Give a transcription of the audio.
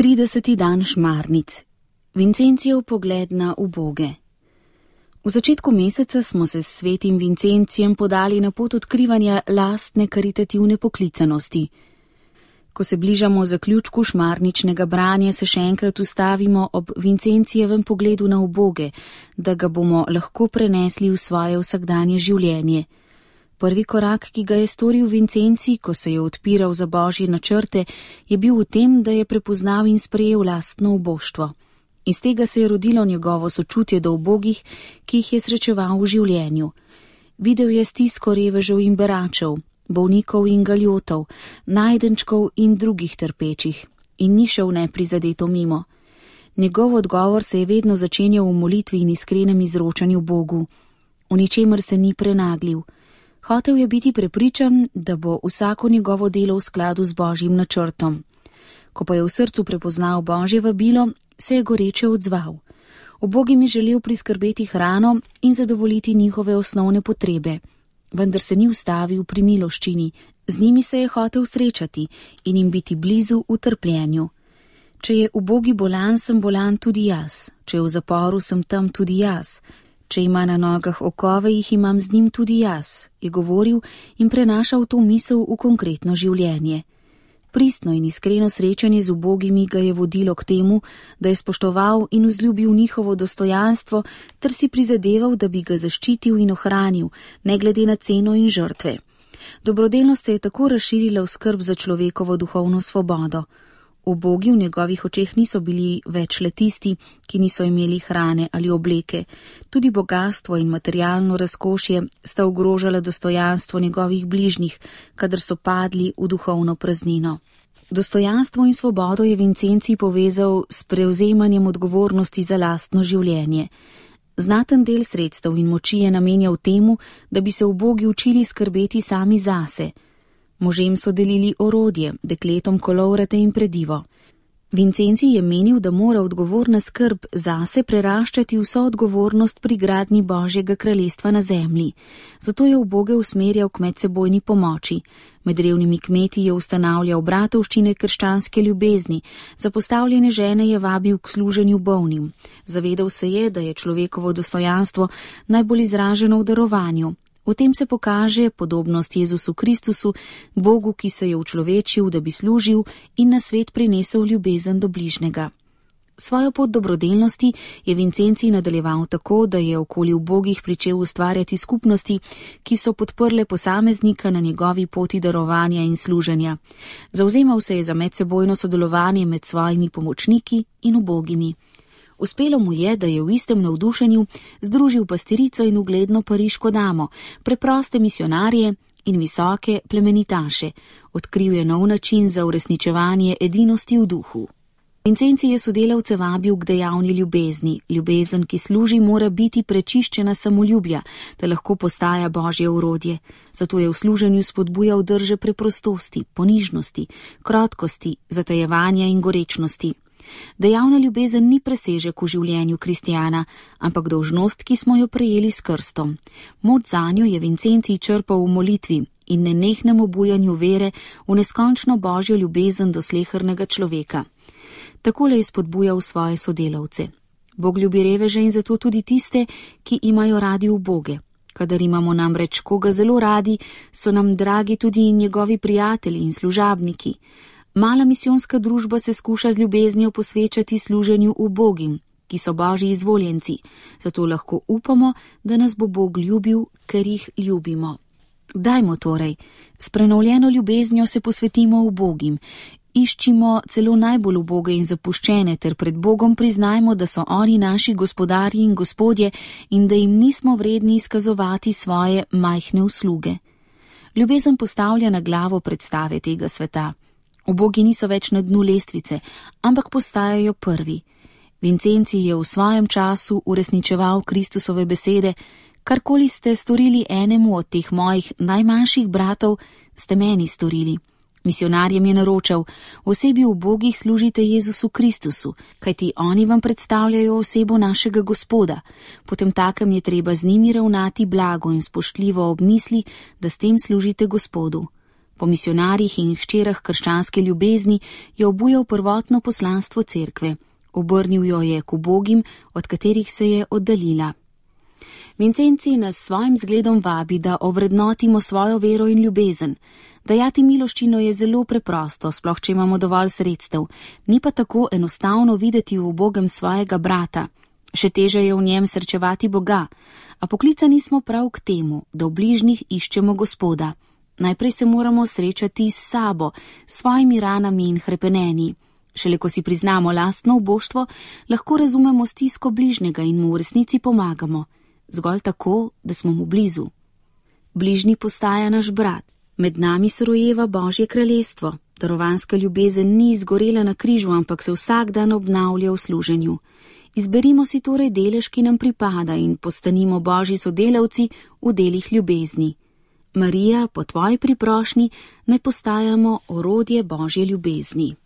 30. dan šmarnic. Vincencijev pogled na uboge. V začetku meseca smo se s svetim Vincencijem podali na pot odkrivanja lastne karitativne poklicanosti. Ko se bližamo zaključku šmarničnega branja, se še enkrat ustavimo ob Vincencijevem pogledu na uboge, da ga bomo lahko prenesli v svoje vsakdanje življenje. Prvi korak, ki ga je storil Vincencij, ko se je odpiral za božje načrte, je bil v tem, da je prepoznal in sprejel lastno uboštvo. Iz tega se je rodilo njegovo sočutje do ubogih, ki jih je srečeval v življenju. Videl je stisko revežev in beračev, bolnikov in galjotov, najdenčkov in drugih trpečih in ni šel neprizadeto mimo. Njegov odgovor se je vedno začenjal v molitvi in iskrenem izročanju Bogu. V ničemer se ni prenaglil. Hotel je biti prepričan, da bo vsako njegovo delo v skladu z božjim načrtom. Ko pa je v srcu prepoznal božje vabilo, se je goreče odzval. Ubogim je želel priskrbeti hrano in zadovoljiti njihove osnovne potrebe. Vendar se ni ustavil pri miloščini, z njimi se je hotel srečati in jim biti blizu v trpljenju. Če je ubogi bolan, sem bolan tudi jaz, če je v zaporu, sem tam tudi jaz. Če ima na nogah okove, jih imam z njim tudi jaz, je govoril in prenašal to misel v konkretno življenje. Pristno in iskreno srečanje z ubogimi ga je vodilo k temu, da je spoštoval in vzljubil njihovo dostojanstvo ter si prizadeval, da bi ga zaščitil in ohranil, ne glede na ceno in žrtve. Dobrodelnost se je tako razširila v skrb za človekovo duhovno svobodo. Ubogi v njegovih očeh niso bili več le tisti, ki niso imeli hrane ali obleke. Tudi bogastvo in materialno razkošje sta ogrožala dostojanstvo njegovih bližnjih, kadar so padli v duhovno praznino. Dostojanstvo in svobodo je Vincencij povezal s prevzemanjem odgovornosti za lastno življenje. Znaten del sredstev in moči je namenjal temu, da bi se ubogi učili skrbeti sami zase. Možem so delili orodje, dekletom kolovrate in predivo. Vincencij je menil, da mora odgovorna skrb zase preraščati vso odgovornost pri gradnji Božjega kraljestva na zemlji. Zato je uboge usmerjal k medsebojni pomoči. Med revnimi kmeti je ustanavljal bratovščine krščanske ljubezni, zapostavljene žene je vabil k služenju bolnim. Zavedal se je, da je človekovo dostojanstvo najbolj izraženo v darovanju. V tem se pokaže podobnost Jezusu Kristusu, Bogu, ki se je učlovečil, da bi služil in na svet prinesel ljubezen do bližnjega. Svojo pot dobrodelnosti je Vincencij nadaljeval tako, da je okoli ubogih pričel ustvarjati skupnosti, ki so podprle posameznika na njegovi poti darovanja in služenja. Zavzemal se je za medsebojno sodelovanje med svojimi pomočniki in ubogimi. Uspelo mu je, da je v istem navdušenju združil pastirico in ugledno pariško damo, preproste misionarje in visoke plemenitaše. Odkril je nov način za uresničevanje edinosti v duhu. Vincencij je sodelavce vabil k dejavni ljubezni. Ljubezen, ki služi, mora biti prečiščena samoljubja, da lahko postaja božje orodje. Zato je v služenju spodbujal drže preprostosti, ponižnosti, krotkosti, zatajevanja in gorečnosti. Dejavna ljubezen ni presežek v življenju kristjana, ampak dolžnost, ki smo jo prejeli s krstom. Moč zanjo je Vincencij črpal v molitvi in nenehnem obujanju vere v neskončno božjo ljubezen do slehernega človeka. Takole je spodbujal svoje sodelavce. Bog ljubi reveže in zato tudi tiste, ki imajo radi uboge. Kadar imamo namreč koga zelo radi, so nam dragi tudi njegovi prijatelji in služabniki. Mala misijonska družba se skuša z ljubeznijo posvečati služenju ubogim, ki so božji izvoljenci, zato lahko upamo, da nas bo Bog ljubil, ker jih ljubimo. Dajmo torej, s prenovljeno ljubeznijo se posvetimo ubogim, iščimo celo najbolj uboge in zapuščene ter pred Bogom priznajmo, da so oni naši gospodarji in gospodje in da jim nismo vredni izkazovati svoje majhne usluge. Ljubezen postavlja na glavo predstave tega sveta. Ubogi niso več na dnu lestvice, ampak postajajo prvi. Vincencij je v svojem času uresničeval Kristusove besede: karkoli ste storili enemu od teh mojih najmanjših bratov, ste meni storili. Misionarjem je naročal: osebi ubogih služite Jezusu Kristusu, kajti oni vam predstavljajo osebo našega Gospoda. Potem takem je treba z njimi ravnati blago in spoštljivo ob misli, da s tem služite Gospodu. Po misionarjih in hčerah krščanske ljubezni je obujal prvotno poslanstvo cerkve. Obrnil jo je k ubogim, od katerih se je oddaljila. Vincencij nas s svojim zgledom vabi, da ovrednotimo svojo vero in ljubezen. Dajati miloščino je zelo preprosto, sploh če imamo dovolj sredstev, ni pa tako enostavno videti v ubogem svojega brata. Še teže je v njem srečevati Boga, a poklicani smo prav k temu, da v bližnjih iščemo Gospoda. Najprej se moramo srečati s sabo, s svojimi ranami in hrepenenji. Šele ko si priznamo lastno uboštvo, lahko razumemo stisko bližnjega in mu v resnici pomagamo. Zgolj tako, da smo mu blizu. Bližnji postaja naš brat. Med nami se rojeva Božje kraljestvo. Darovanska ljubezen ni izgorela na križu, ampak se vsak dan obnavlja v služenju. Izberimo si torej delež, ki nam pripada, in postanimo Božji sodelavci v delih ljubezni. Marija, po tvoji priprošnji naj postajamo orodje Božje ljubezni.